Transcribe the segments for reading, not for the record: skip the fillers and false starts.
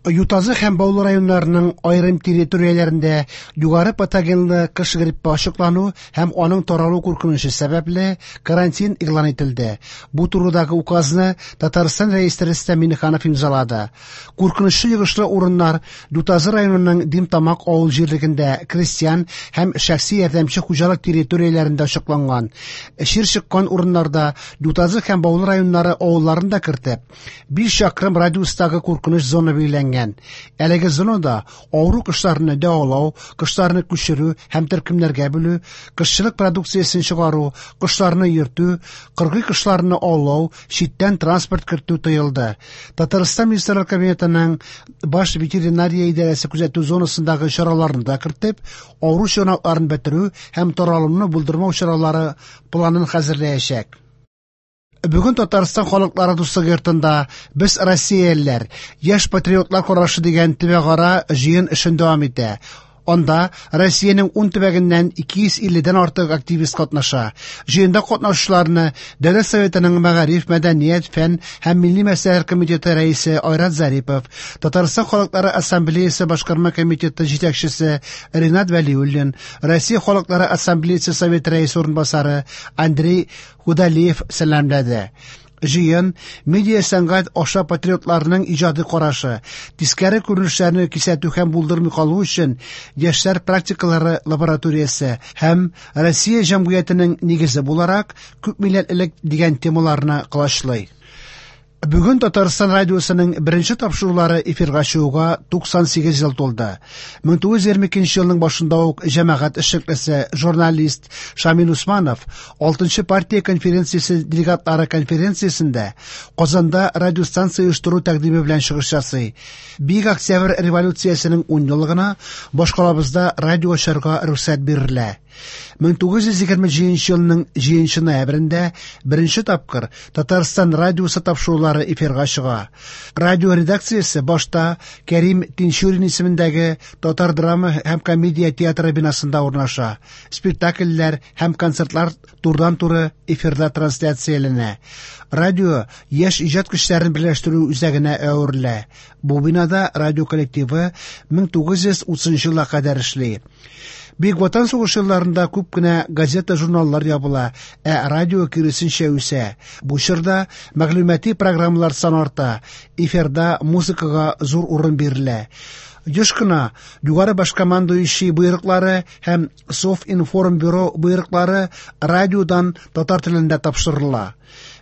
Ютазы һәм Баулы районнарының аерым территорияләрендә югары патогенлы кош гриппы ачыклану һәм аның таралу куркынычы сәбәпле, карантин игълан ителде. Бу турыдагы указны Татарстан Рәисе Рөстәм Миңнеханов имзалады. Куркынычлы йогышлы урыннар Ютазы районының Димтамак авыл җирлегендә крестьян һәм шәхси ярдәмче хуҗалык территорияләрендә ачыкланган. Чир чыккан урыннарда Ютазы һәм Баулы районнары авылларын да кертеп, 5 чакрым радиустагы куркыныч зона билгеләнгән. Әлеге зонада авыру кошларны дәвалау, кошларны күчерү һәм төркемнәргә бүлү, кошчылык продукциясен чыгару, кошларны йөртү, кыргый кошларны аулау, читтән транспорт кертү тыелды. Татарстан Министрлар Кабинетының Баш ветеринария идарәсе күзәтү зонасындагы чараларны да кертеп, авыру чыганакларын бетерү һәм таралуны булдырмау чаралары планын хәзерләячәк. Бүген Татарстан халыклары дуслыгы йортында «Без россиялеләр. Яшь патриотлар карашы» дигән төбәкара җыен эшен дәвам итә. Анда Россиянең 10 төбәгеннән 250 дән артык активист катнаша. Җыенда катнашучыларны Дәүләт Советының Мәгариф, мәдәният, фән һәм милли мәсьәләләр комитеты рәисе Айрат Зарипов, Татарстан халыклары ассамблеясы башкарма комитеты җитәкчесе Ренат Вәлиуллин, Россия халыклары ассамблеясы Советы рәисе урынбасары Андрей Худалеев сәламләде. Җыен медиа сәнгать аша патриотларның иҗади карашы, тискәре күренешләрне кисәтү һәм булдырмый калу өчен яшьләр практикалары лабораториясе һәм Россия җәмгыятенең нигезе буларак күпмилләтлелек дигән темаларны колачлый. Бүген Татарстан радиосының беренче тапшырулары эфирга чыгуга 98 ел тулды. 1922 елның башында ук җәмәгать эшлеклесе, журналист Шамил Усманов 6 партия конференциясе делегатлары конференциясендә Казанда радиостанция оештыру тәкъдиме белән чыгыш ясый. Бөек Октябрь революциясенең 10 еллыгына башкалабызда радио ачарга рөхсәт бирелә. 1927 елның 7 ноябрендә беренче тапкыр Татарстан радиосы тапшырулары эфирга чыга. Радио редакциясе башта Кәрим Тинчурин исемендәге Татар драма һәм комедия театры бинасында урнаша. Спектакльләр һәм концертлар турыдан-туры эфирда трансляцияләнә. Радио яшь иҗат көчләрен берләштерү үзәгенә әверелә. Бу бинада радио коллективы 1930 елга кадәр эшли. Бөек Ватан сугышы елларында күп кенә газета-журналлар ябыла, ә радио киресенчә үсә. Бу чорда мәгълүмати программалар саны арта, эфирда музыкага зур урын бирелә. Еш кына Югары башкомандующий боерыклары һәм Совинформбюро боерыклары радиодан татар телендә тапшырыла.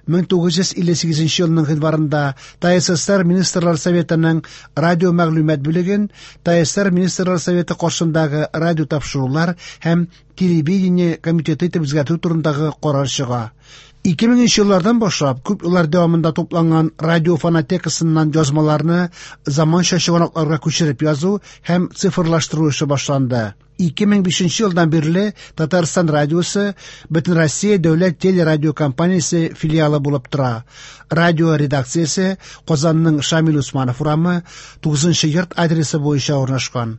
1958 елның гыйнварында ТАССР Министрлар Советының радио мәгълүмат бүлеген ТАССР Министрлар Советы каршындагы радио тапшырулар һәм телевидение комитеты итеп үзгәртү турындагы карар чыга. 2000 еллардан башлап күп еллар дәвамында тупланган радио фонотекасыннан язмаларны заманча чыганакларга күчереп язу һәм цифрлаштыру эше башланды. 2005 елдан бирле Татарстан радиосы Бөтенроссия дәүләт телерадиокомпаниясе филиалы булып тора. Радио редакциясе Казанның Шамил Усманов урамы 9 йорт адресы буенча урнашкан.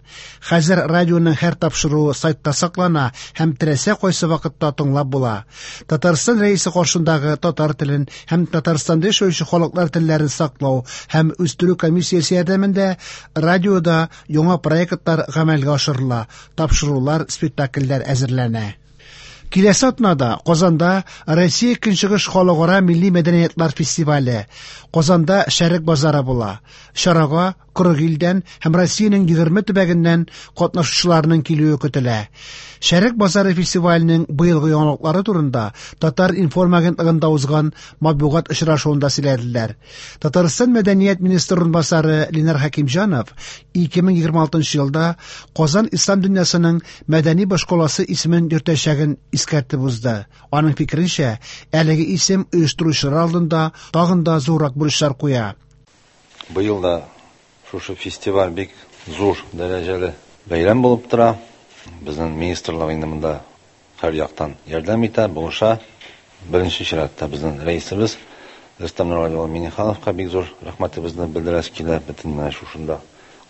Хәзер радионың һәр тапшыруы сайтта саклана һәм теләсә кайсы вакытта тыңлап була. Татарстан Рәисе каршындагы татар телен һәм Татарстанда яшәүче халыклар телләрен саклау һәм үстерү комиссиясе ярдәмендә радиода яңа проектлар гамәлгә ашырыла, тапшырулар, спектакльләр әзерләнә. Киләсе атнада Казанда Россия Көнчыгыш халыкара милли мәдәниятлар фестивале, Казанда Шәрык базары була. Чарага 40 илдән һәм Россиянең 20 төбәгеннән катнашучыларның килүе көтелә. Шәрык базары фестиваленең быелгы яңалыклары турында Татар-информ агентлыгында узган матбугат очрашуында сөйләделәр. Татарстан мәдәният министры урынбасары Ленар Хәкимҗанов 2026 елда Казан ислам дөньясының мәдәни башкаласы исемен йөртәчәген искәртеп узды. Аның фикеренчә, әлеге исем оештыручылар алдында тагын да зуррак бурычлар куя. Быел да шушы фестиваль бик зур дәрәҗәле бәйрәм булып тора. Безнең министрлык инде монда һәр яктан ярдәм итә, булыша. Беренче чиратта безнең рәисебез Рөстәм Нургали улы Миңнехановка бик зур рәхмәтебезне белдерәсе килә. Бөтен менә шушында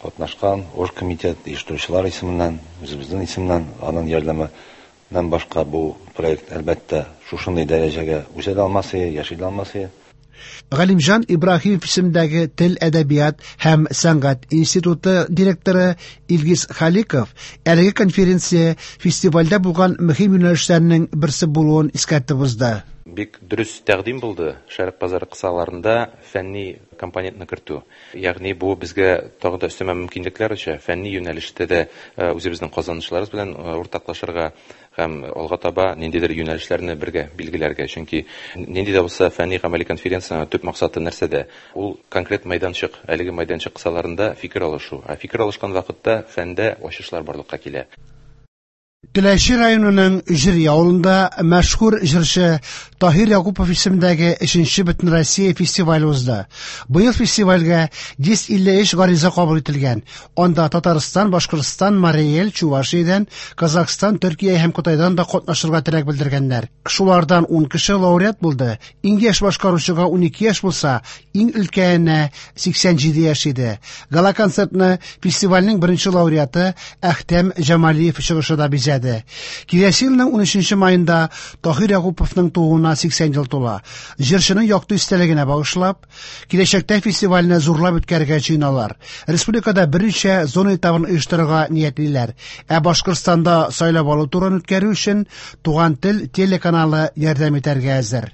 катнашкан оргкомитет оештыручылар исеменнән, үзебезнең исемнән, аның ярдәменнән башка бу проект, әлбәттә, шушындый дәрәҗәгә үсә дә алмас иде, яши дә алмас иде. Галимҗан Ибраһимов исемендәге Тел, әдәбият һәм сәнгать институты директоры Илгиз Халиков әлеге конференция фестивальдә булган мөһим юнәлешләрнең берсе булуын искәртеп узды. Бик дөрес тәкъдим булды Шәрык базары кысаларында фәнни компонентны кертү. Ягъни бу безгә тагын да өстәмә мөмкинлекләр ача, фәнни юнәлештә дә үзебезнең казанышларыбыз белән уртаклашырга һәм алга таба ниндидер юнәлешләрне бергә билгеләргә. Чөнки нинди дә булса фәнни гамәли конференциянең төп максаты нәрсәдә? Ул конкрет мәйданчык, әлеге мәйданчык кысаларында фикер алышу. Ә фикер алышкан вакытта фәндә ачышлар барлыкка килә. Теләче районының Җөри авылында мәшһүр җырчы Таһир Якупов исемендәге 3нче Бөтенроссия фестивале узды. Быел фестивальгә 153 гариза кабул ителгән. Анда Татарстан, Башкортстан, Марий Эл, Чувашиядән, Казахстан, Төркия һәм Кытайдан да катнашырга теләк белдергәннәр. Шулардан 10 кеше лауреат булды. Иң яшь башкаручыга 12 яшь булса, иң өлкәненә 87 яшь иде. Гала-концертны фестивальнең беренче лауреаты Әхтәм Җамалиев чыгышы да бизәде. Киләсе елның 13 маенда Таһир Якуповның тууына 80 ел тула. Җырчының якты истәлегенә багышлап, киләчәктә фестивальне зурлап үткәрергә җыеналар. Республикада берничә зона этабын оештырырга ниятлиләр. Ә Башкортстанда сайлап алу турын үткәрү өчен Туган тел телеканалы ярдәм итәргә әзер.